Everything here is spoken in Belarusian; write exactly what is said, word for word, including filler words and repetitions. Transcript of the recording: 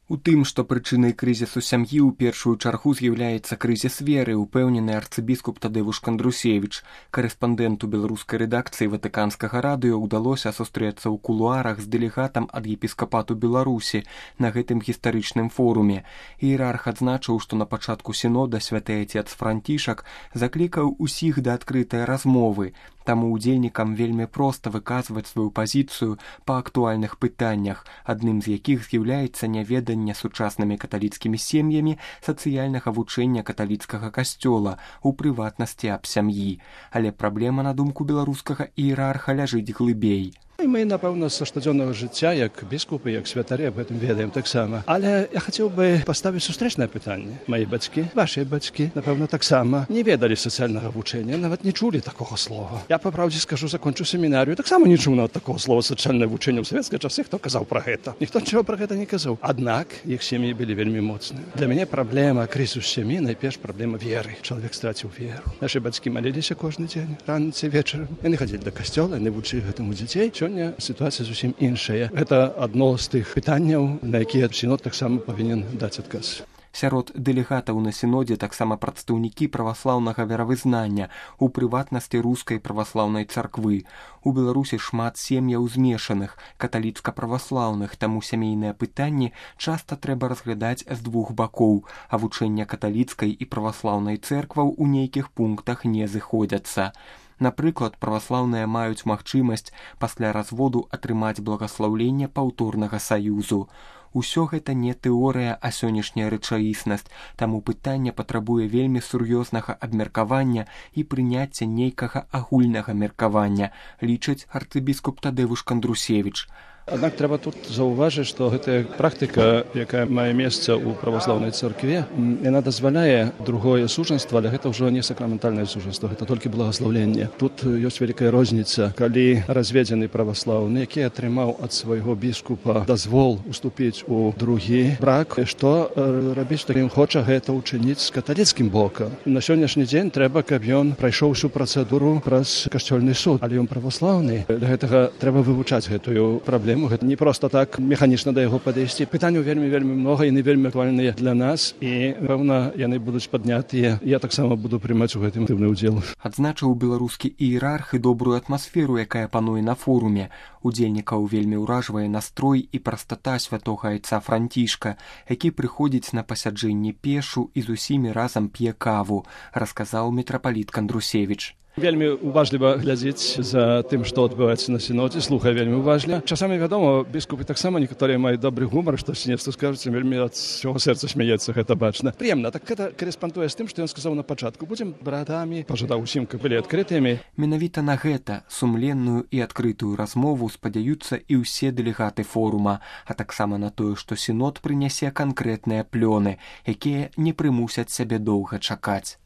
У тым, што прычынай крызісу сям'і ў першую чаргу з'яўляецца крызіс веры, упэўнены арцыбіскуп Тадеуш Кандрусевіч. Карэспандэнту беларускай рэдакцыі Ватыканскага радыё ўдалося сустрэцца ў кулуарах з дэлегатам ад епіскапату Беларусі на гэтым гістарычным форуме. Іерарх адзначыў, што на пачатку сінода святы отец Францішак заклікаў усіх да адкрытай размовы. Таму удзельнікам вельмі проста выказваць сваю пазіцыю па актуальных пытаннях, адным з якіх з'яўляецца няведанне сучаснымі каталіцкімі сем'ямі сацыяльнага вучэння каталіцкага касцёла, у прыватнасці аб сям'і. Але праблема, на думку беларускага іерарха, ляжыць глыбей. І мы, напэўна, са штодзённага жыцця, як біскупы, як святары, аб гэтым ведаем таксама. Але я хацеў бы паставіць сустрэчнае пытанне. Мае бацькі, вашыя бацькі, напэўна, таксама не ведалі сацыяльнага вучэння, нават не чулі такога слова. Я, па праўдзе скажу, закончыў семінарыю, таксама не чуў нават такога слова сацыяльнае вучэнне ў савецкія часы, хто казаў пра гэта. Ніхто нічого пра гэта не казаў. Аднак іх сем'і былі вельмі моцныя. Для мяне праблема крызісу сям'і, найперш праблема веры. Чалавек страціў веру. Нашы бацькі маліліся кожны дзень, раніцай, вечарам. Яны хадзілі да касцёла, яны вучылі гэтаму дзяцей. Сёння сітуацыя зусім іншая. Гэта адно з тых пытанняў, на якія сінод таксама павінен даць адказ. Сярод дэлегатаў на сінодзе таксама прадстаўнікі праваслаўнага веравызнання, у прыватнасці рускай праваслаўнай царквы. У Беларусі шмат сем'яў змешаных, каталіцка-праваслаўных, таму сямейныя пытанні часта трэба разглядаць з двух бакоў, а вучэння каталіцкай і праваслаўнай цэркваў у нейкіх пунктах не зыходзяцца. Напрыклад, праваслаўныя маюць магчымасць пасля разводу атрымаць благаслаўленне паўторнага саюзу. Усё гэта не тэорыя, а сённяшняя рэчаіснасць, таму пытанне патрабуе вельмі сур'ёзнага абмеркавання і прыняцця нейкага агульнага меркавання, лічыць арцыбіскуп Тадеуш Кандрусевіч. Аднак трэба тут заўважыць, што гэтая практыка, якая мае месца ў праваслаўнай царкве, яна дазваляе другое сужанства, але гэта ўжо не сакраментальнае сужанства, гэта толькі благаслаўленне. Тут ёсць вялікая розніца, калі разведзены праваслаўны, які атрымаў ад свайго біскупа дазвол уступіць у другі брак, што рабіць, калі ён хоча гэта ўчыніць з каталіцкім бокам. На сённяшні дзень трэба, каб ён прайшоў усю працэдуру праз касцёльны суд, але ён праваслаўны. Для гэтага трэба вывучаць гэтую праблему. Гэта не проста так механічна да яго падысці. Пытанняў вельмі-вельмі многа, яны вельмі актуальныя для нас, і, пэўна, яны будуць паднятыя. Я таксама буду прымаць у гэтым актыўны ўдзел. Адзначыў беларускі іерарх і добрую атмасферу, якая пануе на форуме. Удзельнікаў вельмі ўражвае настрой і прастата святога айца Францішка, які прыходзіць на пасяджэнне пешу і з усімі разам п'е каву, расказаў мітрапаліт Кандрусевіч. Вельмі уважліва глядзець за тым, што адбываецца на сінодзе, слухае вельмі уважліва. Часамі, вядома, біскупы таксама некаторыя маюць добры гумар, што сінецтва скажуць, вельмі ад свайго сэрца смяецца, гэта бачна. Прыемна, так гэта карэспандуе з тым, што ён сказаў на пачатку. Будзем братамі, пажадаў усім, каб былі адкрытымі. Менавіта на гэта, сумленную і адкрытую размову, спадзяюцца і ўсе дэлегаты форума, а таксама на тое, што сінод прынясе канкрэтныя плёны, якія не прымусяць сябе доўга чакаць.